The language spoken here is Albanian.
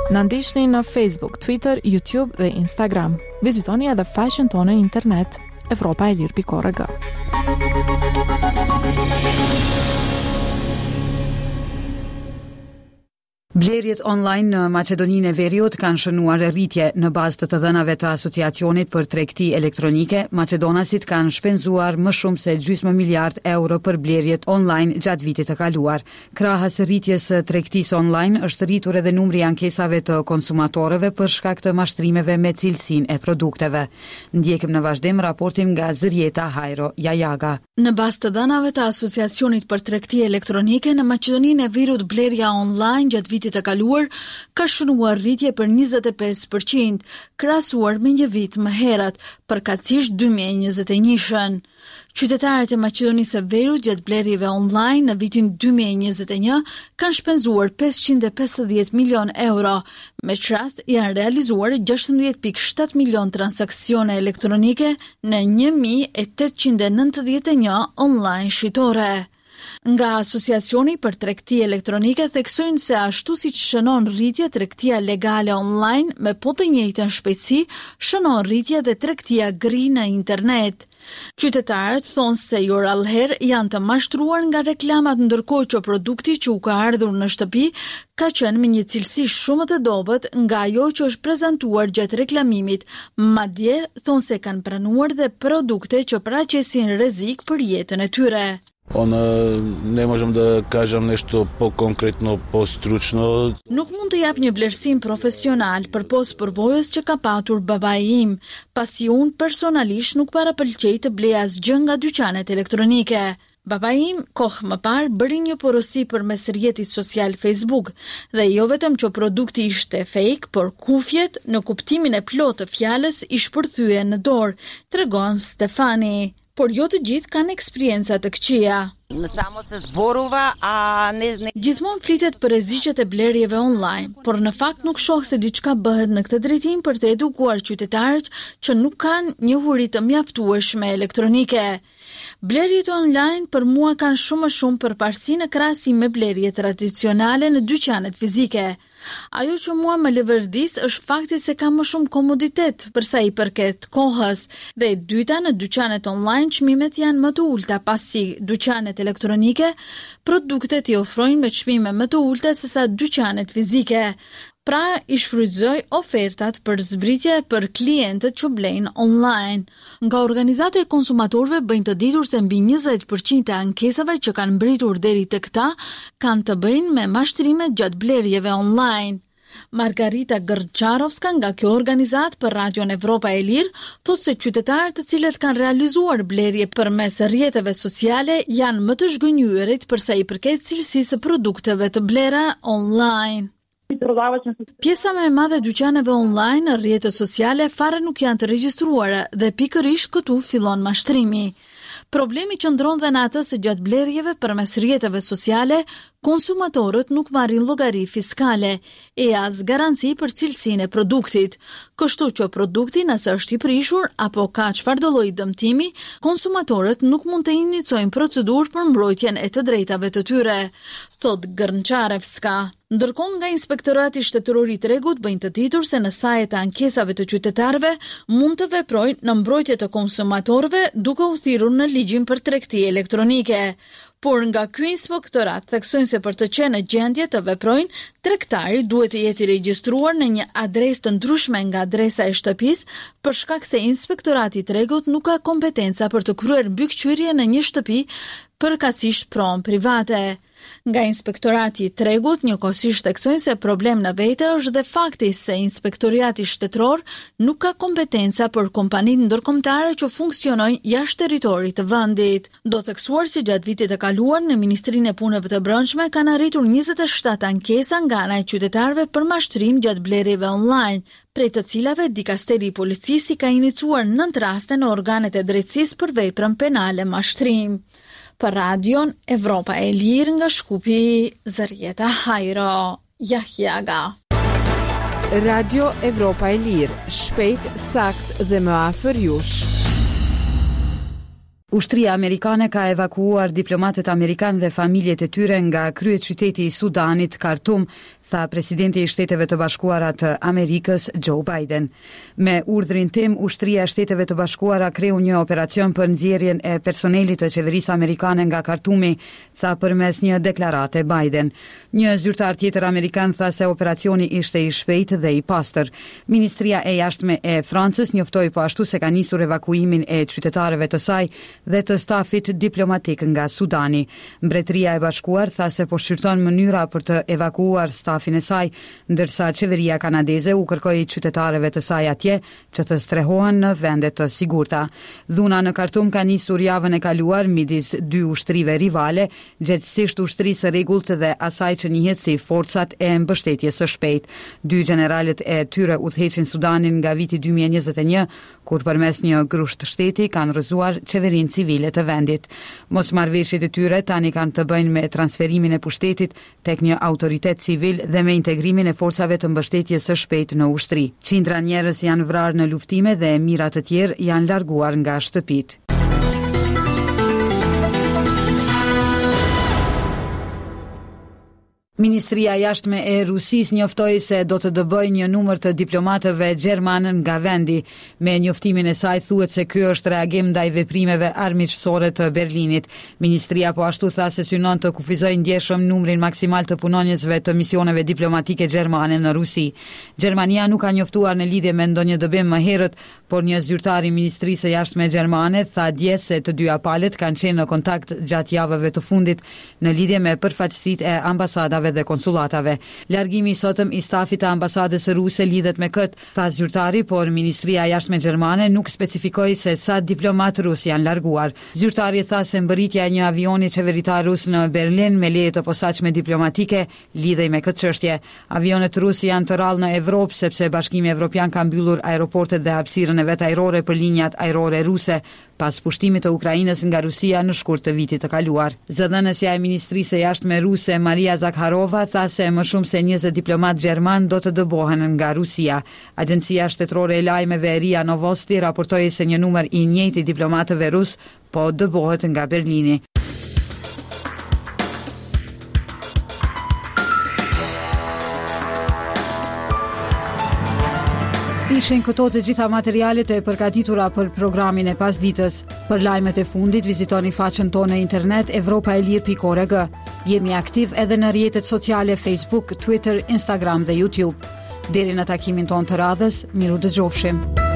Na ndiqni në Facebook, Twitter, YouTube dhe Instagram. Vizitoni edhe faqen tonë në internet evropaelire.org. Blerjet online në Maqedoninë e Veriut kanë shënuar rritje. Në bazë të të dhënave të Asociacionit për Tregti Elektronike, maqedonasit kanë shpenzuar më shumë se gjysmë miliard euro për blerjet online gjatë vitit të kaluar. Krahas rritjes së tregtisë online, është rritur edhe numri i ankesave të konsumatorëve për shkak të mashtrimeve me cilësinë e produkteve. Ndjekim në vazhdim raportin nga Zërjeta Hajro Jajaga. Në bazë të dhënave të Asociacionit për Tregti Elektronike, në Maqedoninë e Veriut blerja online gjatë vitit të kaluar ka shënuar rritje për 25 për qind, krahasuar me një vit më herët, përkatësisht 2021-shën. Qytetarët e Maqedonisë së Veriut gjatë blerjeve online në vitin 2021 kanë shpenzuar 550 milionë euro, me ç'rast janë realizuar 16.7 milionë transaksione elektronike në 1891 online shitore. Nga Asociacioni për Tregti Elektronike theksojnë se ashtu siç shënon rritje tregtia legale online me po të njëjtën shpejtësi, shënon rritje dhe tregtia gri në internet. Qytetarët thonë se jo rrallëherë janë të mashtruar nga reklamat ndërkohë që produkti që u ka ardhur në shtëpi ka qenë me një cilësi shumë më të dobët nga ajo që është prezantuar gjatë reklamimit, madje thonë se kanë pranuar dhe produkte që paraqesin rrezik për jetën e tyre. Unë ne можам да кажам нешто поконкретно, постручно. Nuk mund të jap një vlerësim profesional përpos përvojës që ka patur babai im, pasi unë personalisht nuk parapëlqej të blej asgjë nga dyqanet elektronike. Babai im, kohë më parë, bëri një porosi përmes rrjetit social Facebook dhe jo vetëm që produkti ishte fake, por kufjet, në kuptimin e plotë të fjalës, i shpërthyen në dorë, tregon Stefani. Por jo të gjithë kanë eksperienca të këqija. Samo se zborува, a ne, ne... Gjithmonë flitet për rreziqet e blerjeve online, por në fakt nuk shoh se diçka bëhet në këtë drejtim për të edukuar qytetarët që nuk kanë njohuri të mjaftueshme elektronike. Blerjet online për mua kanë shumë më shumë përparësi në krahasim me blerjet tradicionale në dyqanet fizike. Ajo që mua më leverdis është fakti se ka më shumë komoditet për sa i përket kohës dhe e dyta në dyqanet online çmimet janë më të ulëta pasi dyqanet elektronike produktet i ofrojnë me çmime më të ulëta sesa dyqanet fizike. Pra i shfrytëzoj ofertat për zbritje për klientët që blejnë online. Nga organizata e konsumatorëve bëjnë të ditur se mbi 20 për qind e ankesave që kanë mbërritur deri tek ta kanë të bëjnë me mashtrimet gjatë blerjeve online. Margarita Gërçarovska nga kjo organizatë për Radion Evropa e Lirë thotë se qytetarët të cilët kanë realizuar blerje përmes rrjeteve sociale janë më të zhgënjyerit për sa i përket cilësisë së produkteve të blera online. Pjesa më e madhe e dyqaneve online në rrjetet sociale fare nuk janë të regjistruara dhe pikërisht këtu fillon mashtrimi. Problemi qëndron dhe në atë se gjatë blerjeve përmes rrjeteve sociale, konsumatorët nuk marrin llogari fiskale e as garanci për cilësinë e produktit. Kështu që produkti nëse është i prishur apo ka çfarëdo lloj dëmtimi, konsumatorët nuk mund të inicojnë procedurë për mbrojtjen e të drejtave të tyre, thotë Gërnçarevska. Ndërkohë nga Inspektorati Shtetëror i Tregut bëjnë të ditur se në saje të ankesave të qytetarëve mund të veprojnë në mbrojtje të konsumatorëve duke u thirrur në ligjin për tregti elektronike. Por nga ky inspektorat theksojnë se për të qenë në gjendje të veprojnë, tregtari duhet të jetë i regjistruar në një adresë të ndryshme nga adresa e shtëpisë, për shkak se Inspektorati i Tregut nuk ka kompetenca për të kryer mbikëqyrje në një shtëpi, përkatësisht pronë private. Nga Inspektorati i Tregut njëkohësisht theksojnë se problem në vete është dhe fakti se Inspektoriati Shtetëror nuk ka kompetenca për kompanitë ndërkombëtare që funksionojnë jashtë territorit të vendit. Do theksuar se gjatë vitit të kaluar në Ministrinë e Punëve të Brendshme kanë arritur 27 ankesa nga ana e qytetarëve për mashtrim gjatë blerjeve online, prej të cilave dikasteri i policisë i ka inicuar 9 raste në organet e drejtësisë për veprën penale mashtrim. Për Radion Evropa e Lirë nga Shkupi, Zërjeta Hajro, Jahjaga. Radio Evropa e Lirë, shpejt, sakt dhe më afër jush. Ushtria amerikane ka evakuuar diplomatët amerikanë dhe familjet e tyre nga kryeqyteti i Sudanit, Khartoum, tha presidenti i Shteteve të Bashkuara të Amerikës, Joe Biden. Me urdhrin tim, Ushtria e Shteteve të Bashkuara kreu një operacion për nxjerrjen e personelit të qeverisë amerikane nga Khartoumi, tha përmes një deklarate Biden. Një zyrtar tjetër amerikan tha se operacioni ishte i shpejtë dhe i pastër. Ministria e Jashtme e Francës njoftoi po ashtu se ka nisur evakuimin e qytetarëve të saj dhe të stafit diplomatik nga Sudani. Mbretëria e Bashkuar tha se po shqyrton mënyra për të evakuuar stafin e saj, ndërsa qeveria kanadeze u kërkoi qytetarëve të saj atje që të strehohen në vende të sigurta. Dhuna në Khartoum ka nisur javën e kaluar midis dy ushtrive rivale, gjegjësisht ushtrisë së rregullt dhe asaj që njihet si Forcat e Mbështetjes së Shpejtë. Dy gjeneralët e tyre udhëheqin Sudanin nga viti 2021, kur përmes një grusht shteti kanë rrëzuar qeverinë civile të vendit. Mosmarrëveshjet e tyre tani kanë të bëjnë me transferimin e pushtetit tek një autoritet civil dhe me integrimin e forcave të mbështetjes së shpejtë në ushtri. Qindra njerëz janë vrarë në luftime dhe mijëra të tjerë janë larguar nga shtëpitë. Ministria e Jashtme e Rusisë njoftoi se do të dëbojë një numër të diplomatëve gjermanë nga vendi. Me njoftimin e saj thuhet se ky është reagim ndaj veprimeve armiqësore të Berlinit. Ministria po ashtu tha se synon të kufizojë ndjeshëm numrin maksimal të punonjësve të misioneve diplomatike gjermane në Rusi. Gjermania nuk ka njoftuar në lidhje me ndonjë dëbim më herët, por një zyrtar i Ministrisë së Jashtme gjermane tha dje se të dyja palët kanë qenë në kontakt gjatë javëve të fundit në lidhje me përfaqësitë e ambasadave dhe konsullatave. Largimi i sotëm i stafit të ambasadës ruse lidhet me këtë, tha zyrtari, por Ministria e Jashtme gjermane nuk specifikoi se sa diplomatë rusë janë larguar. Zyrtari tha se mbërritja e një avioni qeveritar rus në Berlin me leje të posaçme diplomatike lidhej me këtë çështje. Avionët rusë janë të rrallë në Evropë sepse Bashkimi Evropian ka mbyllur aeroportet dhe hapësirën e vet ajrore për linjat ajrore ruse pas pushtimit të Ukrainës nga Rusia në shkurt të vitit të kaluar. Zëdhënësja e Ministrisë së Jashtme ruse, Maria Zakharova, tha se më shumë se 20 diplomatë gjermanë do të dëbohen nga Rusia. Agjencia shtetërore e lajmeve RIA Novosti raportoi se një numër i njëjtë i diplomatëve rusë po dëbohet nga Berlini. Ishin këto të gjitha materialet e përgatitura për programin e pasditës. Për lajmet e fundit vizitoni faqen tonë në internet evropaelire.org. Jemi aktiv edhe në rrjetet sociale Facebook, Twitter, Instagram dhe YouTube. Deri në takimin tonë të radhës, mirudëgjofshim.